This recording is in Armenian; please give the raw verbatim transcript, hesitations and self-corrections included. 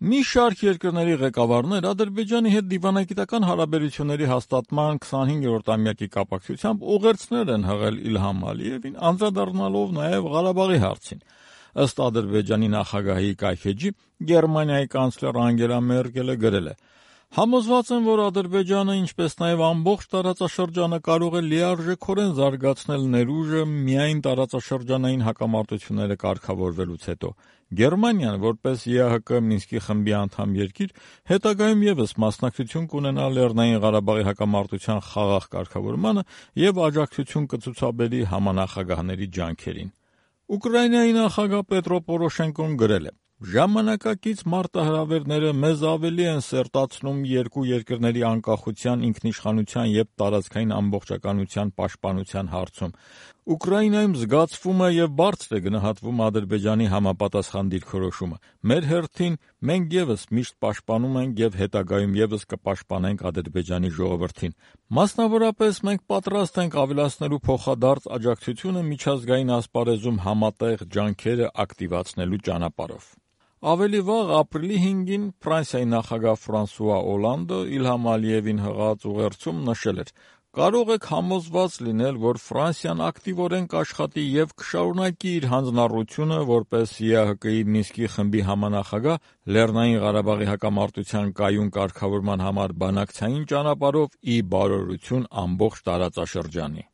Մի շարք երկրների ղեկավարներ Ադրբեջանի հետ դիվանագիտական հարաբերությունների հաստատման քսանհինգերորդամյակի կապակցությամբ ուղերձներ են հղել Իլհամ Ալիևին, անդրադառնալով նաև Ղարաբաղի հարցին։ Ըստ Ադրբեջանի նախագահի կայքէջի, Գերմանիայի կանցլեր Անգելա Մերկելը գրել է. «Համոզված եմ, որ Ադրբեջանը, ինչպես նաև ամբողջ տարածաշրջանը կարող է լիարժեքորեն զարգացնել ներուժը միայն տարածաշրջանային հակամարտությունները կարգավորվելուց հետո։ Գերմանիան, որպես ԵԱՀԿ Մինսկի խմբի անդամ երկիր, հետագայում ևս մասնակցություն կունենա Լեռնային Ղարաբաղի հակամարտության խաղաղ կարգավորմանը և աջակցություն կցուցաբերի համանախագահների ջանքերին»։ Ուկրաինայի նախագահ Պետրո Պորոշենկոն գրել է. «Ժամանակակից մարտահրավերները մեզ ավելի են սերտացնում երկու երկրների անկախության, ինքնիշխանության և տարածքային ամբողջականության պաշտպանության հարցում։ Ուկրաինայում զգացվում է և բարձր է գնահատվում Ադրբեջանի համապատասխան դիրքորոշումը։ Մեր հերթին մենք ևս միշտ պաշտպանում ենք և հետագայում ևս կպաշտպանենք Ադրբեջանի ժողովրդին։ Մասնավորապես, մենք պատրաստ ենք ավելացնելու փոխադարձ աջակցությունը միջազգային ասպարեզում համատեղ ջանքերը ակտիվացնելու ճանապարհով»։ Ավելի վաղ, ապրիլի հինգին, Ֆրանսիայի նախագահ Ֆրանսուଆ Օլանդը Իլհամ Ալիևին հղած ուղերձում նշել էր. «Կարող եք համոզված լինել, որ Ֆրանսիան ակտիվորեն կաշխատի և կշարունակի իր հանձնառությունը որպես ԵԱՀԿ Մինսկի խմբի համանախագահ Լեռնային Ղարաբաղի հակամարտության կայուն կարգավորման համար բանակցային ճանապարհով ի բարօրություն ամբողջ տարածաշրջանի»։